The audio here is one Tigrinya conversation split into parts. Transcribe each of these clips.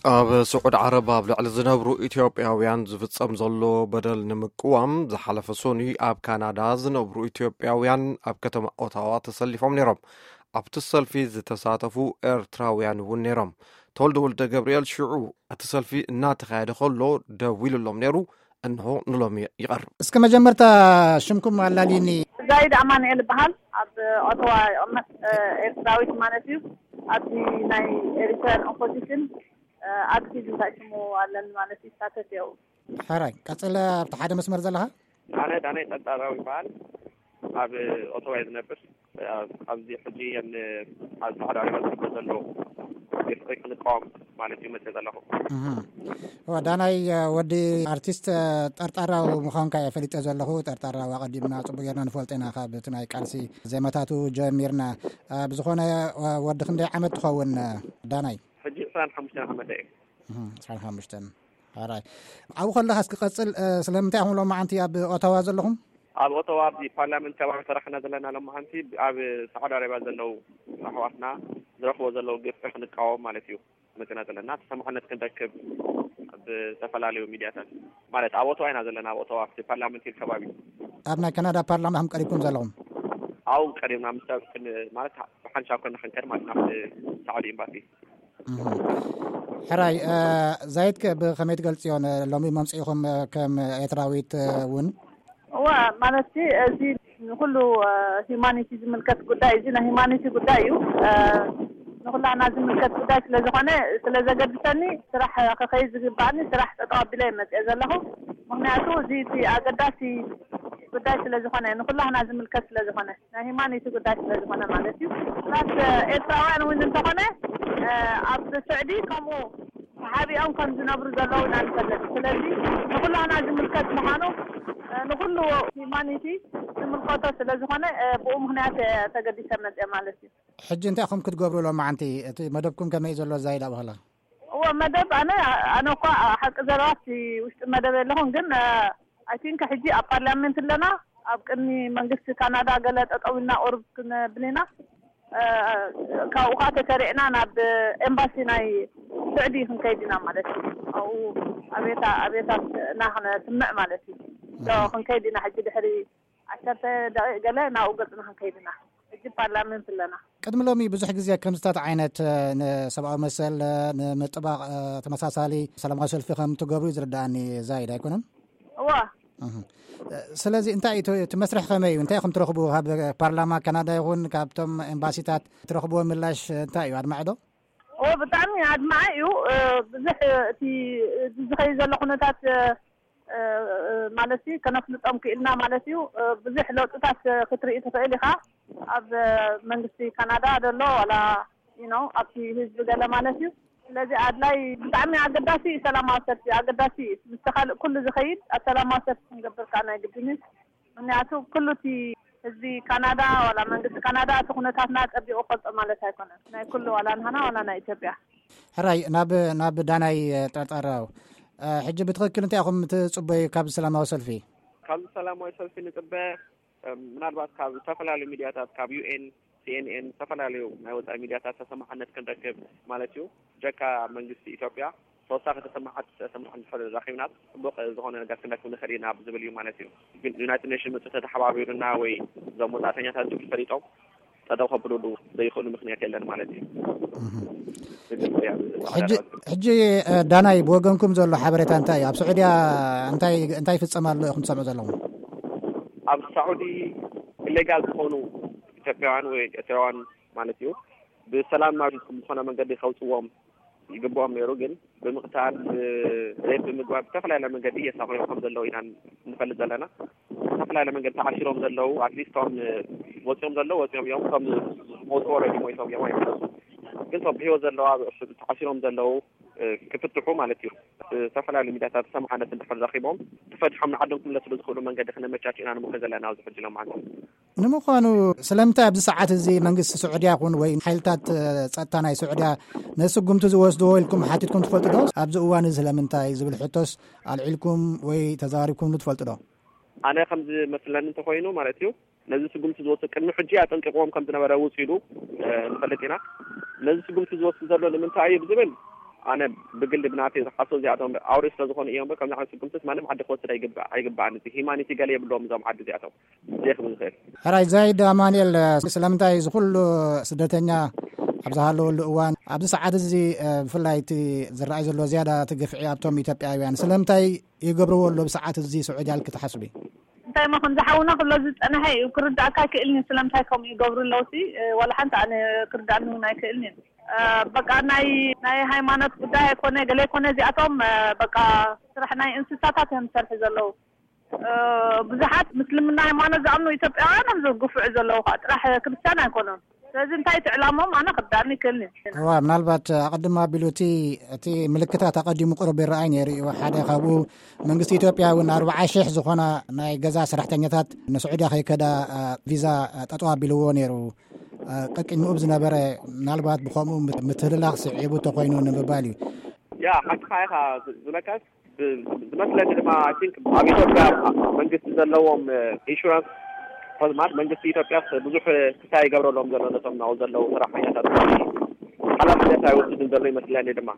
ኣብ ስዑድ ዓረብ ኣብ ልዕሊ ዝነብሩ ኢትዮጵያውያን ዝፍጸም ዘሎ በደል ንምቅዋም፣ ዝሓለፈ ሰኑይ ኣብ ካናዳ ዝነብሩ ኢትዮጵያውያን ኣብ ከተማ ኦታዋ ተሰሊፎም ነይሮም። ኣብቲ ሰልፊ ዝተሳተፉ ኤርትራውያን እውን ነይሮም። ተወልደ ወልደ ገብርኤል ሽዑ እቲ ሰልፊ እናተኻየደ ከሎ ደዊሉሎም ነይሩ። እንሆ ንሎሚ ይቐርብ። እስከ መጀመርታ ሽምኩም ኣላልዩኒ። ዛይድ ኣማኑኤል ይበሃል። ኣብ ኦቶዋ ይቕመጥ፣ ኤርትራዊት ማለት እዩ። ኣብዚ ናይ ኤሪትራን ኦፖዚሽን ኣክቲቭ እንታይ ሽሙ ኣለኒ ማለት እዩ፣ ይሳተፍ እየ። ሕራይ ቀጽለ። ኣብቲ ሓደ መስመር ዘለኻ? ኣነ ዳናይ ጸጣራዊ ይበሃል። ኣብ ኦቶዋ እየ ዝነብር። ኣብዚ ሕጂ እየን ኣብ ጻዕዳ ዕዳጋ ዝግበር ዘሎ ግፍዒ ክንቃወም ማለት እዩ መጽእ ዘለኹ። እዋ፣ ዳናይ፣ ወዲ ኣርቲስት፣ ጠርጣራዊ ምዃንካ እየ ፈሊጠ ዘለኹ። ጠርጣራዊ ኣቐዲምና ጽቡቅ ጌርና ንፈልጦ ኢና፣ ካብ እቲ ናይ ቃልሲ ዜማታቱ ጀሚርና። ብዝኾነ፣ ወዲ ክንደይ ዓመት ትኸውን፣ ዳናይ? ሕጂ ዕስራን ሓሙሽተን ዓመተ እየ። ዕስራን ሓሙሽተን። ሕራይ። ኣብኡ ከለኻ እስኪ ቀጽል። ስለምንታይ ኢኹም ሎማዓንቲ ኣብ ኦታዋ ዘለኹም? ኣብ ኦቶዋ ኣብዚ ፓርላመንት ከባቢ ሰራሕና ዘለና ሎማዓንቲ ኣብ ሳዑዲ ኣረብያ ዘለዉ ኣሕዋትና ዝረኽቦ ዘለዉ ግፍዒ ክንቃወም ማለት እዩ መጺና ዘለና። ተሰማዕነት ክንረክብ ኣብ ዝተፈላለዩ ሚድያታት ማለት ኣብ ኦቶዋ ኢና ዘለና፣ ኣብ ኦቶዋ ኣብቲ ፓርላመንት ሂል ከባቢ። ኣብ ናይ ካናዳ ፓርላማ ከም ቀሪብኩም ዘለኹም? ኣብኡ ቀሪብና ምስ ሰብ ክን-፣ ማለት ብሓንሻብ ኮና ክንከድ ማለት ናብቲ ሳዑዲ ኤምባሲ። ሕራይ፣ ዛይድ ከ ብኸመይ ትገልጽዮ ሎሚ መምጽኢኹም ከም ኤርትራዊት እውን? እዋ፣ ማለት እዚ ንኩሉ ሂማኒቲ ዝምልከት ጉዳይ፣ እዚ ናይ ሂማኒቲ ጉዳይ እዩ። ንኩላና ዝምልከት ጉዳይ ስለ ዝኾነ፣ ስለ ዘገድሰኒ፣ ስራሕ ክኸይድ ዝግባእኒ ስራሕ ጠጠው ኣቢለ እየ መፅየ ዘለኹ። ምክንያቱ እዚ እቲ ኣገዳሲ ጉዳይ ስለ ዝኾነ፣ ንኩላህና ዝምልከት ስለ ዝኾነ፣ ናይ ሂማኒቲ ጉዳይ ስለ ዝኾነ ማለት እዩ። ፕላስ ኤርትራውያን እውን እንተኾነ ኣብ ስዑዲ ከምኡ ተሓቢኦም ከም ዝነብሩ ዘለዉ ኢና ንፈልጥ። ስለዚ ንኩላህና ዝምልከት ምዃኑ፣ ንኩሉ ሂማኒቲ ዝምልከቶ ስለ ዝኾነ፣ ብኡ ምክንያት ተገዲሰ መፅየ ማለት እዩ። ሕጂ እንታይ ኢኹም ክትገብሩ ሎማዓንቲ? እቲ መደብኩም ከመይ ዘሎ ዛይድ ኣብኸላ? እዎ፣ መደብ ኣነ፣ ኣነ እኳ ሓቂ ዘረባ ኣብቲ ውሽጢ መደብ የለኹን፣ ግን ኣይ ቲንክ ሕጂ ኣብ ፓርላሜንት ኣለና። ኣብ ቅድሚ መንግስቲ ካናዳ ገለ ጠጠው ኢልና ቁሩብ ክንብል ኢና። ካብኡ ከዓ ተሰሪዕና ናብ ኤምባሲ ናይ ስዑዲ ክንከይድ ኢና ማለት እዩ። ኣብኡ ኣብየታ ኣብየታ እና ክነስምዕ ማለት እዩ። ሶ ክንከይድ ኢና ሕጂ ድሕሪ ዓሰርተ ደቂቕ ገለ ናብኡ ገጽና ክንከይድ ኢና። ሕጂ ፓርላመንት ኣለና። ቅድሚ ሎሚ ብዙሕ ግዜ ከምዚታት ዓይነት ንሰብኣዊ መሰል ንምጥባቕ ተመሳሳሊ ሰላማዊ ሰልፊ ከም ትገብሩ እዩ ዝርዳኣኒ። ዛይድ ኣይኮነን? እዋ። ስለዚ እንታይ እዩ እቲ መስርሕ ከመይ እዩ? እንታይ ኢኹም ትረኽቡ ካብ ፓርላማ ካናዳ ይኹን ካብቶም ኤምባሲታት ትረኽብዎ ምላሽ እንታይ እዩ? ኣድማዒ ዶ? ኦ፣ ብጣዕሚ ኣድማዒ እዩ። ብዙሕ እቲ ዝኸይ ዘሎ ኩነታት ማለት እዩ ከነፍልጦም ክኢልና ማለት እዩ። ብዙሕ ለውጥታት ክትርኢ ትኽእል ኢኻ። ኣብ መንግስቲ ካናዳ ዘሎ ዋላ፣ you know፣ ኣብቲ ህዝቢ ገለ ማለት እዩ። ስለዚ ኣድላይ ብጣዕሚ ኣገዳሲ እዩ ሰላማዊ ሰልፊ፣ ኣገዳሲ እዩ። ምስ ካልእ ኩሉ ዝኸይድ ኣብ ሰላማዊ ሰልፊ ክንገብር ከዓ ናይ ግድን እዩ። ምክንያቱ ኩሉ እቲ ህዝቢ ካናዳ ዋላ መንግስቲ ካናዳ እቲ ኩነታትና ጸቢቑ ፈልጦ ማለት ኣይኮነን። ናይ ኩሉ ዋላ ንሃና ዋላ ናይ ኢትዮጵያ። ሕራይ ናብ ናብ ዳናይ ጠርጠራው ሕጂ ብትኽክል እንታይ ኢኹም ትጽበዩ ካብ ሰላማዊ ሰልፊ? ካብ ሰላማዊ ሰልፊ ንጽበ ምናልባት ካብ ዝተፈላለዩ ሚድያታት ካብ ዩኤን ሲኤንኤን ዝተፈላለዩ ናይ ወፃኢ ሚድያታት ተሰማዕነት ክንረክብ ማለት እዩ። ጀካ መንግስቲ ኢትዮጵያ ተወሳኺ ተሰማዓት ተሰማዕ እንድሕር ረኺብና ፅቡቅ ዝኾነ ነገር ክንረክብ ንኽእል ኢና ዝብል እዩ ማለት እዩ። ግን ዩናይትድ ኔሽን መፅኡ ተተሓባቢሩና ወይ እዞም ወፃእተኛታት ዝብል ፈሊጦም ጠጠው ከብሉሉ ዘይኽእሉ ምክንያት የለን ማለት እዩ። ሕጂ ዳናይ ብወገንኩም ዘሎ ሓበሬታ እንታይ እዩ? ኣብ ስዑድያ እንታይ እንታይ ይፍጸም ኣሎ ኢኹም ትሰምዑ ዘለኹም? ኣብ ሳዑዲ ኢሌጋል ዝኾኑ ኢትዮጵያውያን ወይ ኤርትራውያን ማለት እዩ ብሰላም ናብ ዝኾነ መንገዲ ከውፅዎም ይግብኦም ነይሩ። ግን ብምቕታል ሬፕ ብምግባር ብዝተፈላለየ መንገዲ የሳቕዮም ከም ዘለዉ ኢና ንፈልጥ ዘለና። ዝተፈላለየ መንገዲ ተዓሲሮም ዘለዉ ኣትሊስት ቶም ወፂኦም ዘለዉ ወፂኦም እዮም። ቶም መውፅኦ ረዲ ሞይቶም እዮም ኣይመለሱ። ግን ቶም ብህይወት ዘለዉ ተዓሲሮም ዘለዉ ክፍትሑ ማለት እዩ። ዝተፈላለዩ ሚድያታት ሰማዕነት እንድሕር ረኪቦም ተፈትሖም ንዓዶም ክምለስሉ ዝኽእሉ መንገዲ ክነመቻች ኢና ንምክር ዘለና ኣብዚ ሕጂ ሎም ዓንተ። ንምዃኑ ስለምንታይ ኣብዚ ሰዓት እዚ መንግስቲ ስዑድያ ይኹን ወይ ሓይልታት ጸጥታ ናይ ስዑድያ ነዚ ስጉምቲ ዝወስድዎ ኢልኩም ሓቲትኩም ትፈልጡ ዶ? ኣብዚ እዋን እዚ ስለምንታይ ዝብል ሕቶስ ኣልዒልኩም ወይ ተዛሪብኩምሉ ትፈልጡ ዶ? ኣነ ከም ዝመስለኒ እንተኾይኑ ማለት እዩ ነዚ ስጉምቲ ዝወስድ ቅድሚ ሕጂ ኣጠንቂቕዎም ከም ዝነበረ ውፅ ኢሉ ንፈልጥ ኢና። ነዚ ስጉምቲ ዝወስድ ዘሎ ንምንታይ እዩ ብዝብል ኣነ ብግሊ ብናተይ ዝሓስቦ እዚኣቶም ኣውሬ ስለ ዝኾኑ እዮም። ከምዚ ዓይነት ስጉምትስ ማንም ዓዲ ክወስድ ኣይግባእ፣ ኣይግባእን። እዚ ሂማኒቲ ገለ የብሎም እዞም ዓዲ እዚኣቶም። ዘይኽብል ዝኽእል። ሕራይ ዛይድ ኣማኑኤል፣ ስለምንታይ እዚ ኩሉ ስደተኛ ኣብ ዝሃለወሉ እዋን፣ ኣብዚ ሰዓት እዚ፣ እ፣ ብፍላይ እቲ ዝረኣይ ዘሎ ዝያዳ እቲ ግፍዒ ኣብቶም ኢትዮጵያውያን፣ ስለምንታይ ይገብርዎ ኣሎ ብሰዓት እዚ ስዑድያ ኢልኪ ትሓስቢ? እንታይ ሞ ከም ዝሓውና ክብሎ ዝጸንሐ እዩ ክርዳእካ ኣይክእልን እዩ። ስለምንታይ ከምኡ ይገብሩ ኣለውሲ፣ እ፣ ዋላ ሓንቲ ኣነ ክርዳእኒ እውን ኣይክእልን እዩ። እ፣ በቃ ናይ፣ ናይ ሃይማኖት ጉዳይ ኣይኮነ፣ ገለ ኣይኮነ፣ እዚኣቶም፣ እ፣ በቃ ስራሕ ናይ እንስሳታት እዮም ዝሰርሑ ዘለዉ። እ፣ ብዙሓት ምስልምና ሃይማኖት ዝኣምኑ ኢትዮጵያውያን እዮም ዝግፍዑ ዘለዉ፣ ከዓ ጥራሕ ክርስትያን ኣይኮኑን። ስለዚ እንታይ እቲ ዕላምኦም ኣነ ክርዳእኒ ይክእልኒ። እዋ፣ ምናልባት ኣቐድም ኣቢሉ እቲ፣ እቲ ምልክታት ኣቐዲሙ ቁሩብ ይረኣይ ነይሩ እዩ። ሓደ ካብኡ መንግስቲ ኢትዮጵያ እውን ኣርብዓ ሺሕ ዝኾና ናይ ገዛ ሰራሕተኛታት ንስዑድያ ከይከዳ፣ እ፣ ቪዛ፣ እ፣ ጠጠው ኣቢልዎ ነይሩ። እ፣ ቀቂድምኡ ብዝነበረ ምናልባት ብኸምኡ ምት-፣ ምትህልላኽ ስዒቡ ተኾይኑ ንምባል እዩ። ያ፣ ሓቅኻ ኢኻ ዝ-፣ ዝለካስ ብ-፣ ዝመስለኒ ድማ፣ I think፣ ኣብ ኢትዮጵያ መንግስቲ ዘለዎም፣ እ፣ ኢንሹራንስ፣ ማለት መንግስቲ ኢትዮጵያ ብዙሕ ክሳይ ይገብረሎም ዘሎ ነቶም ናብኡ ዘለዉ ሰራሕተኛታት። ሓላፍነት ኣይወስድን ዘሎ ይመስለኒ ድማ።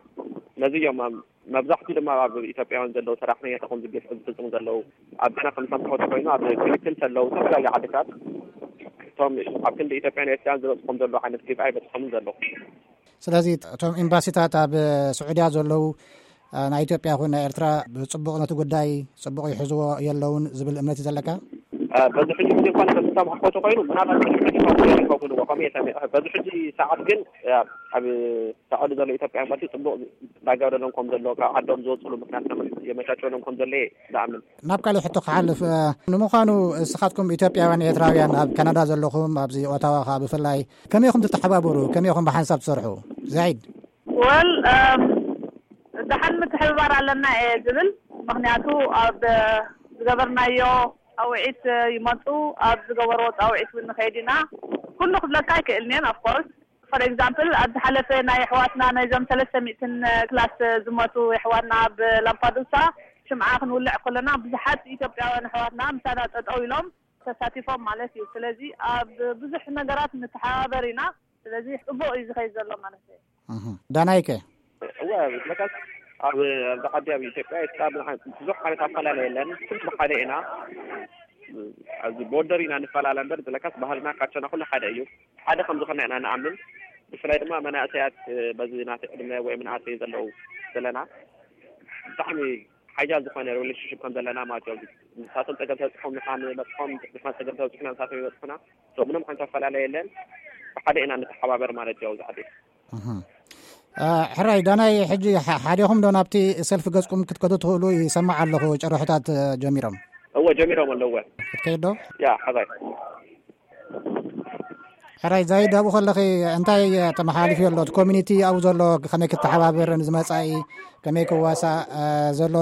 ነዚ እዮም ኣብ-፣ መብዛሕትኡ ድማ ኣብ ኢትዮጵያውያን ዘለዉ ሰራሕተኛታት ከም ዝግፍ-፣ ዝፍጽሙ ዘለዉ። ኣብ ገና ከም ሰምዕዎ ተኮይኑ ኣብ ክልክል ዘለዉ ዝተፈላለዩ ዓድታት እቶም ኣብ ክንዲ ኢትዮጵያን ኤርትራን ዝበጽሖም ዘለዉ ዓይነት ግፍዒ ኣይበጽሖምን ዘለዉ። ስለዚ እቶም ኤምባሲታት ኣብ ስዑድያ ዘለዉ፣ እ፣ ናይ ኢትዮጵያ ይኹን ናይ ኤርትራ ብጽቡቕ ነቲ ጉዳይ ጽቡቕ ይሕዝዎ የለውን ዝብል እምነት እዩ ዘለካ? እ፣ በዚ ሕጂ ግዜ እንኳን ከም ዝሰማዕኩ ተኮይኑ ምናልባት ሕጂ ሕጂ ይኸውን ይኸውን እዎ፣ ከምኡ እየ ሰሚዐ። በዚ ሕጂ ሰዓት ግን፣ እ፣ ኣብ ሳዑዲ ዘሎ ኢትዮጵያ ኤምባሲ ጽቡቕ ዳጋብረሎም ከም ዘሎ፣ ካብ ዓዶም ዝወጽሉ ምክንያት የመቻቸሎም ከም ዘሎ እየ ዝኣምን። ናብ ካልእ ሕቶ ክሓልፍ፣ እ፣ ንምዃኑ እስኻትኩም ኢትዮጵያውያን ኤርትራውያን ኣብ ካናዳ ዘለኹም፣ ኣብዚ ኦታዋ ኸኣ ብፍላይ፣ ከመይ ኢኹም ትተሓባበሩ? ከመይ ኢኹም ብሓንሳብ ትሰርሑ? ዛይድ። ወል፣ እም፣ ደሓን ምትሕብባር ኣለና እየ ዝብል። ምኽንያቱ ኣብ ዝገበርናዮ ጻውዒት ይመጹ፣ ኣብ ዝገበርዎ ጻውዒት እውን ንኸይድ ኢና። ኩሉ ክብለካ ኣይክእልን እየ፣ of course። For example፣ ኣብ ዝሓለፈ ናይ ኣሕዋትና፣ ናይዞም ሰለስተ ሚእትን ክላስ ዝሞቱ ኣሕዋትና ኣብ ላምፓዱሳ ሽምዓ ክንውልዕ ከለና፣ ብዙሓት ኢትዮጵያውያን ኣሕዋትና ምሳና ጠጠው ኢሎም ተሳቲፎም ማለት እዩ። ስለዚ ኣብ ብዙሕ ነገራት ንተሓባበር ኢና። ስለዚ ጽቡቕ እዩ ዝኸይድ ዘሎ ማለት እዩ። እህ። ዳናይከ? እወ፣ ዝለካስ ኣብ፣ ኣብዚ ዓዲ፣ ኣብ ኢትዮጵያ፣ ኤርትራ ብዙሕ ዓይነት ኣፈላለየ የለን። ኩሉ ሓደ ኢና። ኣብዚ ቦርደር ኢና ንፈላለ እምበር፣ ዝለካስ ባህልና ካቸና ኩሉ ሓደ እዩ። ሓደ ከም ዝኾነ ኢና ንኣምን። ብፍላይ ድማ መናእሰያት፣ በዚ ናተይ ዕድመ ወይ መናእሰይ ዘለዉ ዘለና፣ ብጣዕሚ ሓያል ዝኾነ ሪሌሽንሽፕ ከም ዘለና ማለት እዩ። ንሳቶም ጸገም ተብጽሖም ንሕና ንበጽሖም፣ ንሕና ጸገም ተብጽሑና ንሳቶም ይበጽሑና። So፣ ምንም ዓይነት ኣፈላለየ የለን። ብሓደ ኢና ንተሓባበር ማለት እዩ ኣብዚ ዓዲ። እህ። እ፣ ሕራይ ዳናይ፣ ሕጂ ሓ-፣ ሓዴኹም ዶ ናብቲ ሰልፊ ገጽኩም ክትከዱ ትኽእሉ? ይሰማዕ ኣለኹ ጭርሖታት፣ እ፣ ጀሚሮም። እወ፣ ጀሚሮም ኣለዉ። ክትከይድ ዶ? ያ፣ ሕራይ። ሕራይ ዛይድ፣ ኣብኡ ከለኺ እንታይ ተመሓላሊፊ ኣሎ? እቲ ኮሚኒቲ ኣብኡ ዘሎ ከመይ ክተሓባበር፣ ንዝመጻኢ ከመይ ክዋሳእ፣ እ፣ ዘሎ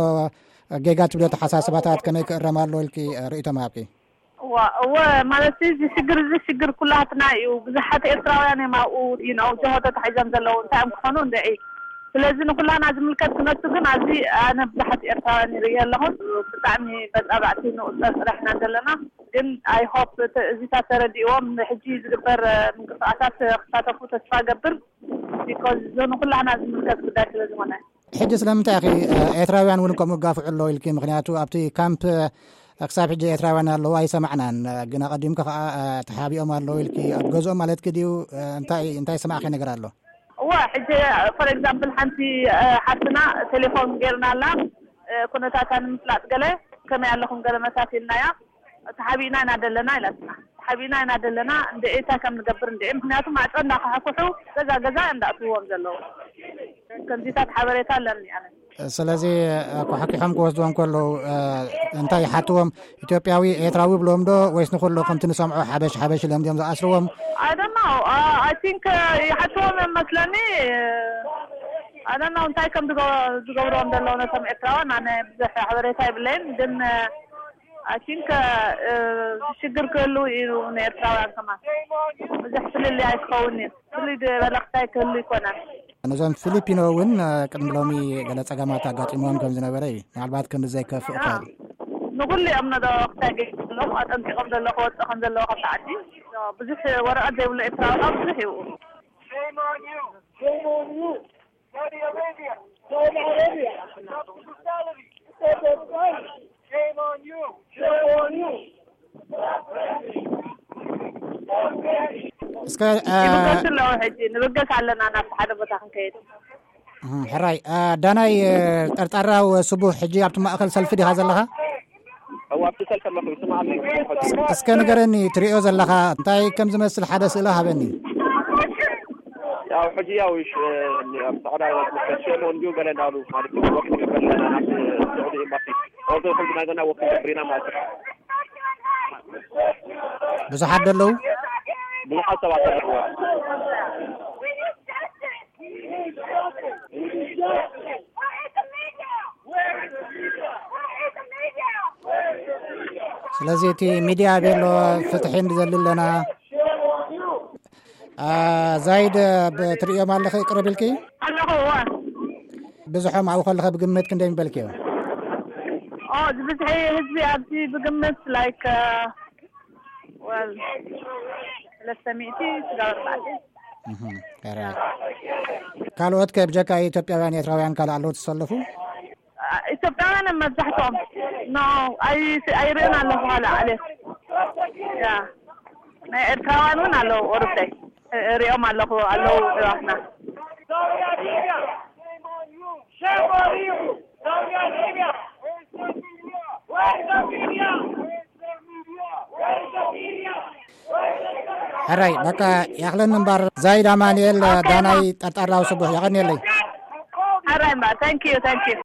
ጌጋ ትብሎ ኣተሓሳስባታት ከመይ ክእረም ኣሎ ኢልኪ፣ እ፣ ርእይቶ ምሃብኪ? እዋ፣ እወ፣ ማለት እዚ ሽግር፣ እዚ ሽግር ኩላትና እዩ። ብዙሓት ኤርትራውያን እዮም ኣብኡ፣ you know፣ ጀሆ ተታሒዞም ዘለዉ። እንታይ እዮም ክኾኑ እንድዒ? ስለዚ ንኩላና ዝምልከት ክነሱ ግን ኣብዚ ኣነ ብዙሓት ኤርትራውያን ይርኢ ኣለኹ። ብጣዕሚ በጣባዕቲ ንቁጸር ጥራሕ ኢና ዘለና። ግን I hope እተ-፣ እዚታት ተረዲእዎም ንሕጂ ዝግበር፣ እ፣ ምንቅስቃሳት ክሳተፉ ተስፋ ገብር። Because እዚ ንኩላና ዝምልከት ጉዳይ ስለ ዝኾነ። ሕጂ ስለምንታይ ኢኺ፣ እ፣ ኤርትራውያን እውን ከምኡ ይጋፍዑ ኣለዉ ኢልኪ? ምኽንያቱ ኣብቲ ካምፕ፣ እ፣ ክሳብ ሕጂ ኤርትራውያን ኣለዉ ኣይሰማዕናን። እ፣ ግን ኣቐዲምኪ ከኣ፣ እ፣ ተሓቢኦም ኣለዉ ኢልኪ። ኣብ ገዝኦም ማለትኪ ድዩ? እ፣ እንታይ፣ እንታይ ዝሰማዕኪ ነገር ኣሎ? እዋ፣ ሕጂ፣ for example፣ ሓንቲ፣ እ፣ ሓፍትና ቴሌፎን ጌርና ኣላ፣ እ፣ ኩነታታ ንምፍላጥ ገለ፣ ከመይ ኣለኹም ገለ መሳት ኢልናያ። ተሓቢእና ኢና ደለና ኢላትና። ተሓቢእና ኢና ደለና፣ እንደ እንታይ ከም ንገብር እንደ፣ ምኽንያቱ ማዕጾ እንዳኳሕኩሑ ገዛ ገዛ እንዳእትውዎም ዘለዉ። ከምዚታት ሓበሬታ ኣለኒ ኣነ። ስለዚ፣ ኳሕኪሖም ክወስድዎም ከለዉ፣ እ፣ እንታይ ይሓትዎም? ኢትዮጵያዊ፣ ኤርትራዊ ብሎም ዶ? ወይስ ንኹሉ ከምቲ ንሰምዖ ሓበሽ፣ ሓበሽ ኢሎም ድዮም ዝኣስርዎም? I don't know። እ፣ I think፣ እ፣ ይሓትዎም እዮም መስለኒ። I don't know እንታይ ከም ዝገ-፣ ዝገብርዎም ዘለዉ ነቶም ኤርትራውያን ኣነ ብዙሕ ሓበሬታ የብለይን። ግን፣ እ፣ I think፣ እ፣ ሽግር ክህሉ እዩ ንኤርትራውያን ከማን። ብዙሕ ፍልልይ ኣይክኸውን እዩ። ፍልይ ዝበለ ክሳይ ክህሉ ይኮነን። ነዞም ፊሊፒኖ እውን፣ እ፣ ቅድሚ ሎሚ ገለ ጸገማት ኣጋጢሞም ከም ዝነበረ እዩ። ምናልባት ክንዲ ዘይከፍእ ይኽእል። ንኹሉ እዮም ነዶ ክሳይ ገይሮም ኣለዉ፣ ኣጠንቂቖም ዘለዉ ክወጽእ ከም ዘለዉ ካብቲ ዓዲ። ብዙሕ ወረቐት ዘይብሉ ኤርትራዊ ብዙሕ እዩ። Saudi Arabia. Saudi Arabia. Brutality. Shame on you. Shame on you. እስከ እ፣ ይብገስ ኣለዎ። ሕጂ ንብገስ ኣለና፣ ናብ ሓደ ቦታ ክንከይድ። እም፣ ሕራይ እ፣ ዳናይ እ፣ ጠርጣራው ስቡሕ፣ ሕጂ ኣብቲ ማእከል ሰልፊ ዲኻ ዘለኻ? እዋ ኣብቲ ሰልፊ ኣለኹ፣ ይስማዕ ኣሎ። እስከ ንገረኒ፣ ትሪኦ ዘለኻ እንታይ ከም ዝመስል ሓደ ስእሊ ሃበኒ። ያው ሕጂ ያው ሽ ኣብ ጻዕዳ መስከት ሸሞ እንዲሁ ገለ እንዳሉ ማለት ነው። ወቅት ገበል ናብ ስዑዲ ኤምባሲ ኦዞ ሕጂ ናገና ወቅት ገበሪና ማለት ነው። ብዙሓት ደለዉ። ብዙሓት ሰባት ኣለዎ። ስለዚ እቲ ሚድያ ቤሎ ፍትሒ ንደሊ ኣለና። ዛይድ ትርእዮም ኣለኺ ቅርብ ኢልኪ? ኣለኹ። እዋ ብዝሖም ኣብኡ ከለኸ ብግምት ክንደይ ምበልክዮ? ኦ ዝብዝሒ ህዝቢ ኣብዚ ብግምት ላይክ ወል ሰለስተ ሚእቲ ስጋብ ኣርባዕተ። ካልኦት ከ ብጀካ ኢትዮጵያውያን ኤርትራውያን ካልእ ኣለዉ ትሰለፉ? ኢትዮጵያውያን መብዛሕትኦም ኖ ኣይርእን ኣለኹ። ኋላ ዓሌት ያ ናይ ኤርትራውያን እውን ኣለዉ። ኦርብደይ ሪኦም ኣለኹ ኣለዉ። እዋትና ሕራይ በቃ ያኽለን እምባር ዛይድ ኣማንኤል ዳናይ ጠርጣራዊ ስቡሕ ያቐንየለይ። ሕራይ እምባር ታንኪዩ ታንኪዩ።